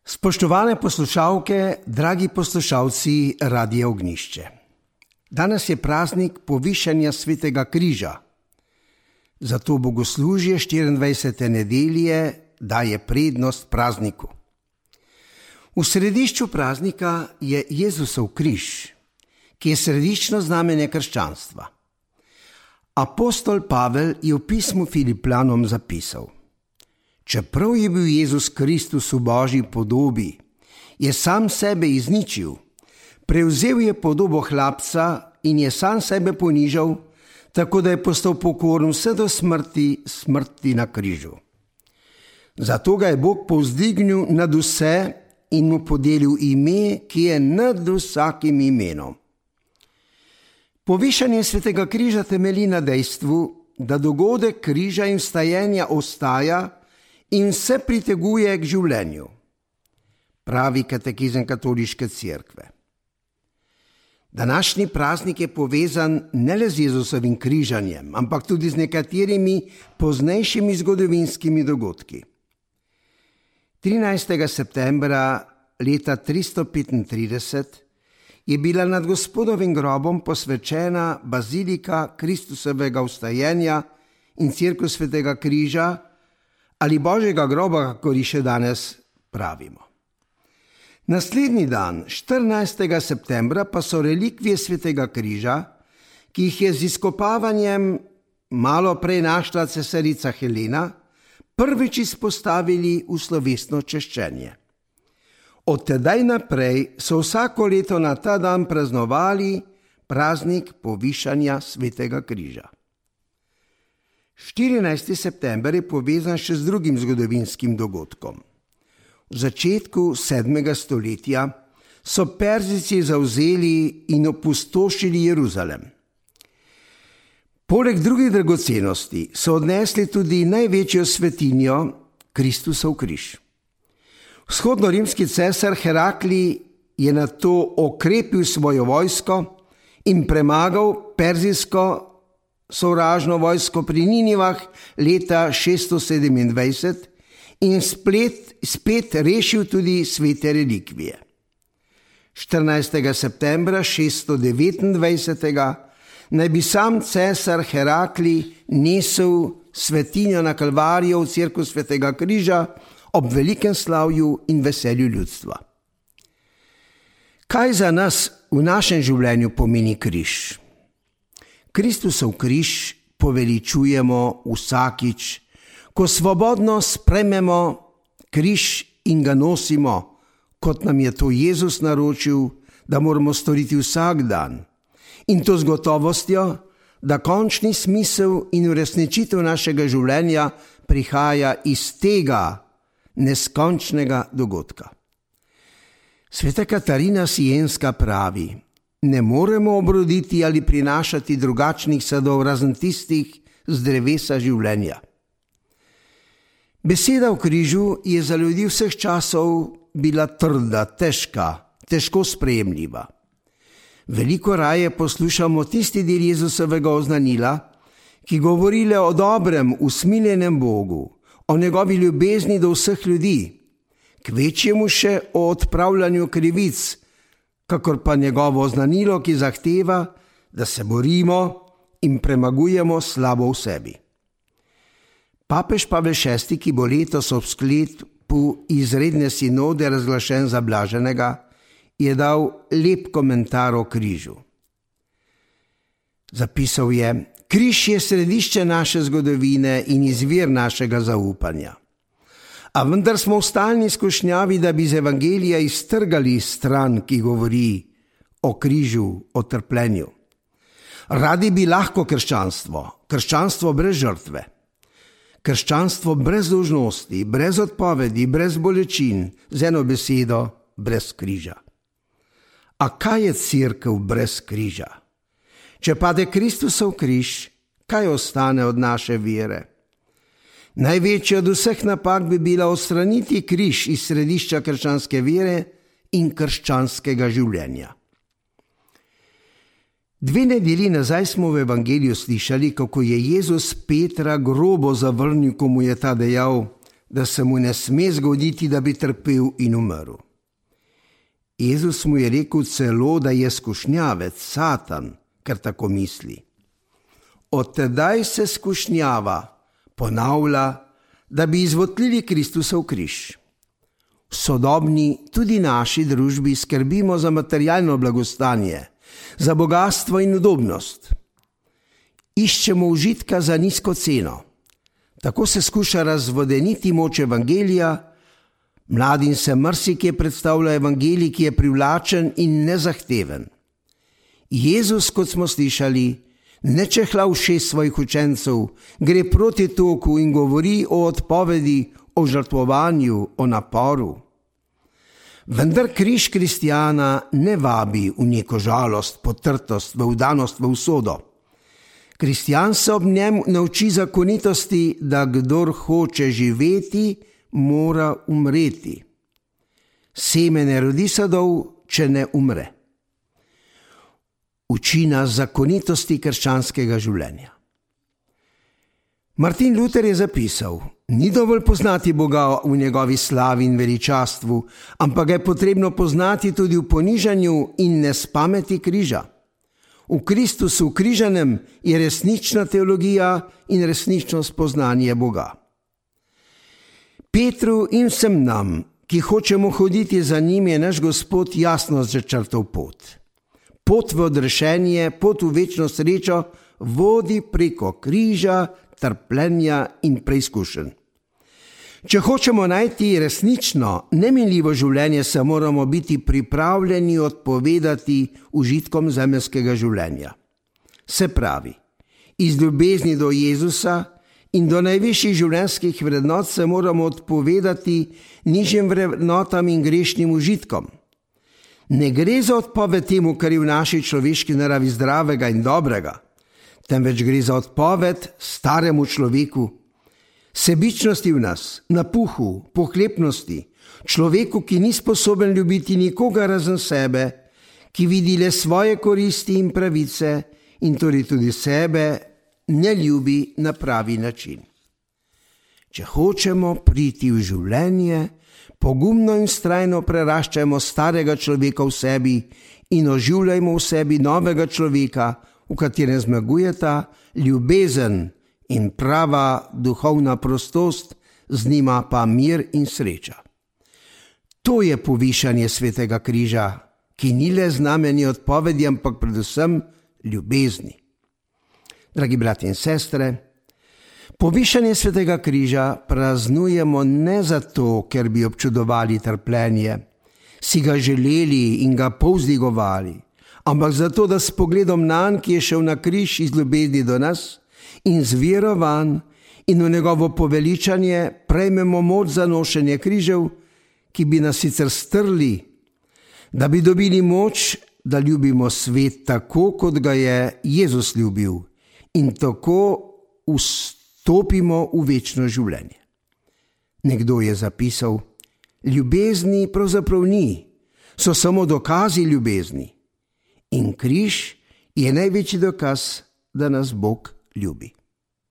Spoštovane poslušalke, dragi poslušalci Radia Ognjišče. Danes je praznik povišanja Svetega križa. Zato bogoslužje 24. nedelje daje prednost prazniku. V središču praznika je Jezusov križ, ki je središčno znamenje krščanstva. Apostol Pavel je v pismu Filipljanom zapisal: Čeprav je bil Jezus Kristus v Božji podobi, je sam sebe izničil, prevzel je podobo hlapca in je sam sebe ponižal, tako da je postal pokoren vse do smrti na križu. Zato ga je Bog povzdignil nad vse in mu podelil ime, ki je nad vsakim imenom. Povišanje Svetega križa temelji na dejstvu, da dogodek križa in vstajenja ostaja in se priteguje k življenju, pravi katekizem Katoliške cerkve. Današnji praznik je povezan ne le z Jezusovim križanjem, ampak tudi z nekaterimi poznejšimi zgodovinskimi dogodki. 13. septembra leta 335 je bila nad Gospodovim grobom posvečena bazilika Kristusovega vstajenja in cerkev Svetega križa ali Božjega groba, kakor ji še danes pravimo. Naslednji dan, 14. septembra, pa so relikvije Svetega križa, ki jih je z izkopavanjem malo prej našla cesarica Helena, prvič izpostavili v slovesno češčenje. Od tedaj naprej so vsako leto na ta dan praznovali praznik povišanja Svetega križa. 14. september je povezan še z drugim zgodovinskim dogodkom. V začetku 7. stoletja so Perzijci zavzeli in opustošili Jeruzalem. Poleg drugih dragocenosti so odnesli tudi največjo svetinjo, Kristusov križ. Vzhodnorimski cesar Herakli je nato okrepil svojo vojsko in premagal perzijsko sovražno vojsko pri Ninivah leta 627 in spet rešil tudi svete relikvije. 14. septembra 629. naj bi sam cesar Herakli nesel svetinjo na Kalvarijo v cerkev Svetega križa ob velikem slavju in veselju ljudstva. Kaj za nas v našem življenju pomeni križ? Kristusov križ poveličujemo vsakič, ko svobodno sprejmemo križ in ga nosimo, kot nam je to Jezus naročil, da moramo storiti vsak dan. In to z gotovostjo, da končni smisel in uresničitev našega življenja prihaja iz tega neskončnega dogodka. Sveta Katarina Sienska pravi: Ne moremo obroditi ali prinašati drugačnih sadov razen tistih z drevesa življenja. Beseda o križu je za ljudi vseh časov bila trda, težko sprejemljiva. Veliko raje poslušamo tisti del Jezusovega oznanila, ki govori le o dobrem, usmiljenem Bogu, o njegovi ljubezni do vseh ljudi, kvečjemu še o odpravljanju krivic, kakor pa njegovo oznanilo, ki zahteva, da se borimo in premagujemo slabo v sebi. Papež Pavel VI., ki bo letos ob sklepu izredne sinode razglašen za blaženega, je dal lep komentar o križu. Zapisal je: Križ je središče naše zgodovine in izvir našega zaupanja. A vendar smo v stalni skušnjavi, da bi z evangelija iztrgali stran, ki govori o križu, o trpljenju. Radi bi lahko krščanstvo brez žrtve, krščanstvo brez dolžnosti, brez odpovedi, brez bolečin, z eno besedo, brez križa. A kaj je cerkev brez križa? Če pade Kristusov križ, kaj ostane od naše vere? Največja od vseh napak bi bila odstraniti križ iz središča krščanske vere in krščanskega življenja. 2 nedelji nazaj smo v evangeliju slišali, kako je Jezus Petra grobo zavrnil, ko mu je ta dejal: da se mu ne sme zgoditi, da bi trpel in umrl. Jezus mu je rekel celo, da je skušnjavec, Satan, ker tako misli. Od tedaj se skušnjava ponavlja, da bi izvotlili Kristusov križ. V sodobni, tudi naši družbi skrbimo za materialno blagostanje, za bogastvo in udobnost. Iščemo užitka za nizko ceno. Tako se skuša razvodeniti moč evangelija, mladim se marsikje predstavlja evangelij, ki je privlačen in nezahteven. Jezus, kot smo slišali, ne čehla ušes svojih učencev, gre proti toku in govori o odpovedi, o žrtvovanju, o naporu. Vendar križ kristjana ne vabi v neko žalost, potrtost, v vdanost v usodo. Kristjan se ob njem nauči zakonitosti, da kdor hoče živeti, mora umreti. Seme ne rodi sadov, če ne umre. Uči nas zakonitosti krščanskega življenja. Martin Luther je zapisal: ni dovolj poznati Boga v njegovi slavi in veličastvu, ampak ga je potrebno poznati tudi v ponižanju in nespameti križa. V Kristusu ukrižanem je resnična teologija in resnično spoznanje Boga. Petru in vsem nam, ki hočemo hoditi za njim, je naš Gospod jasno začrtal pot. Pot v odrešenje, pot v večno srečo vodi preko križa, trpljenja in preizkušenj. Če hočemo najti resnično, neminljivo življenje, se moramo biti pripravljeni odpovedati užitkom zemeljskega življenja. Se pravi, iz ljubezni do Jezusa in do najvišjih življenjskih vrednot se moramo odpovedati nižjim vrednotam in grešnim užitkom. Ne gre za odpoved temu, kar je v naši človeški naravi zdravega in dobrega, temveč gre za odpoved staremu človeku, sebičnosti v nas, napuhu, pohlepnosti, človeku, ki ni sposoben ljubiti nikoga razen sebe, ki vidi le svoje koristi in pravice in torej tudi sebe ne ljubi na pravi način. Če hočemo priti v življenje, pogumno in vztrajno preraščajmo starega človeka v sebi in oživljajmo v sebi novega človeka, v katerem zmagujeta ljubezen in prava duhovna prostost, z njima pa mir in sreča. To je povišanje svetega križa, ki ni le znamenje odpovedi, ampak predvsem ljubezni. Dragi brati in sestre, povišanje svetega križa praznujemo ne zato, ker bi občudovali trpljenje, si ga želeli in ga povzdigovali, ampak zato, da s pogledom nanj, ki je šel na križ iz ljubezni do nas, in z vero vanj in v njegovo poveličanje prejmemo moč za nošenje križev, ki bi nas sicer strli, da bi dobili moč, da ljubimo svet tako, kot ga je Jezus ljubil, in tako vstopimo v večno življenje. Nekdo je zapisal: ljubezni pravzaprav ni, so samo dokazi ljubezni. In križ je največji dokaz, da nas Bog ljubi.